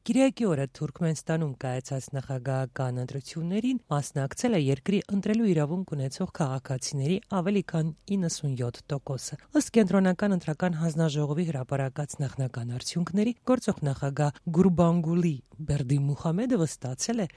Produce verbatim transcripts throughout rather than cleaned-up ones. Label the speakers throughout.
Speaker 1: Կիրակի օրը Թուրքմենստանում կայացած նախագահական ընտրություններին մասնակցել է երկրի ընտրելու իրավունք ունեցող քաղաքացիների ավելի քան իննսունյոթ տոկոսը։ Ըստ կենտրոնական ընտրական հանձնաժողովի հրապարակած նախնական արդյունքների, գործող նախագահ Գուրբանգուլի Բերդիմուխամեդովը ստացել է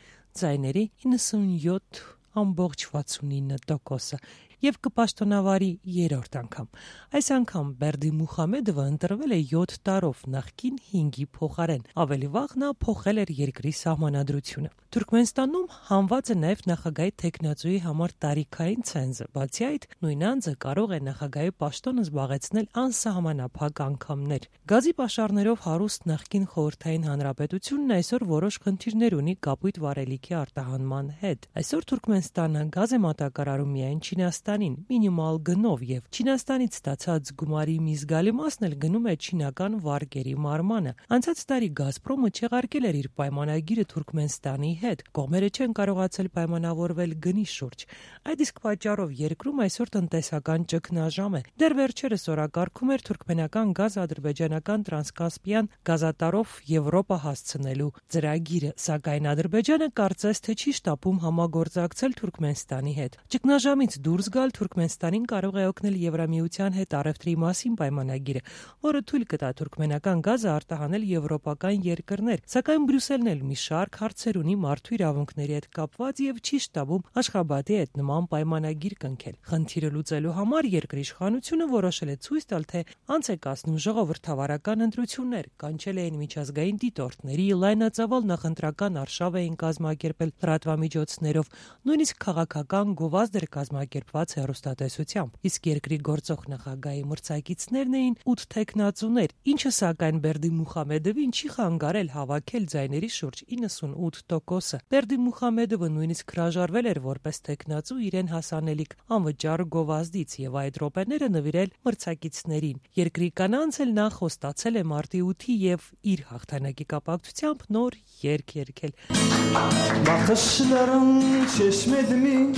Speaker 1: ձայների իննսունյոթ ամբողջ վաթսունինը տոկոսը եւ կպաշտոնավարի երրորդ անգամ։ Այս անգամ Բերդիմուխամեդովը ընտրվել է յոթ տարով նախկին հինգի փոխարեն։ Ավելի վաղ նա փոխել էր երկրի սահմանադրությունը։ Թուրքմենստանում հանված է նաև նախագահի թեկնածուի համար տարիքային ցենզը։ Բացի այդ, նույն անձը կարող է նախագահի պաշտոնը զբաղեցնել անսահմանափակ անգամներ։ Գազի պաշարներով հարուստ նախկին խորհրդային հանրապետությունն այսօր որոշ խնդիրներ ունի կապույտ վառելիքի արտահանման հետ։ Այսօր Թուրքմենստանը գազ է մատակարարում միայն Չինաստանին մինիմալ գնով եւ Չինաստանից ստացած գումարի մի զգալի մասն էլ գնում է չինական վարկերի մարմանը։ Անցած տարի Գազպրոմը չեղարկել էր իր պայմանագիրը Թուրքմենստանի հետ։ Կողմերը չեն կարողացել պայմանավորվել գնի շուրջ։ Այդ իսկ պատճառով երկրում այսօր տնտեսական ճգնաժամ է։ Դեռ վերջերս օրակարգում էր թուրքմենական գազ ադրբեջանական տրանսկասպիան գազատարով Եվրոպա հասցնելու ծրագիրը, սակայն Ադրբեջանը կարծես թե չի շտապում համագործակցել Թուրքմենստանի հետ։ Ճգնաժամից դուրս գալ Թուրքմենստանին կարող է օգնել Եվրամիության հետ առևտրի մասին պայմանագիրը, որը թույլ կտա թուրքմենական գազը արտահանել եվրոպական երկրներ, սակայն Բրյուսելն էլ մի շարք հարցեր ունի մարդու իրավունքների հետ կապված եւ չի շտաբում Աշխաբադի հետ նման պայմանագիր կնքել։ Խնդիրը լուծելու համար երկրի իշխանությունը որոշել է ցույց տալ, թե անց է կացնում ժողովրդավարական ընտրություններ, կանչել էին միջազգային դիտորդների, լայնածավալ նախընտրական արշավ էին կազմակերպել լրատվամիջոցներով, նույնիսկ քաղաքական գովազդ էր կազմակերպված հեռուստատեսությամբ։ Իսկ երկրի գործող նախագահի մրցակիցներն էին ութ թեկնածուներ, ինչը սակայն Բերդիմուխամեդովին չի խանգարել հավաքել ձայների շուրջ իննսունութ տոկոսը։ Բերդիմուխամեդովը նույնիսկ հրաժարվել էր որպես թեկնածու իրեն հասանելիք անվճար գովազդից եւ այդ րոպեները նվիրել մրցակիցներին։ Երկրի կանանց էլ նա խոստացել է մարտի ութի եւ իր հաղթանակի կապակցությամբ նոր երգ երգել։
Speaker 2: Bakışların çeşmedi mi,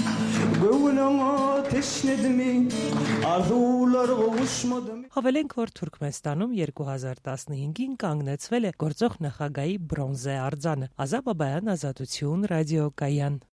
Speaker 2: gönlüme teşnedi mi, arzular kavuşmadı mı?
Speaker 1: Հավելենք, որ Թուրքմենստանում երկու հազար տասնհինգին կանգնեցվել է գործող նախագահի բրոնզե արձանը։ Ազատ Բաբայան, Ազատություն, ռադիոկայան։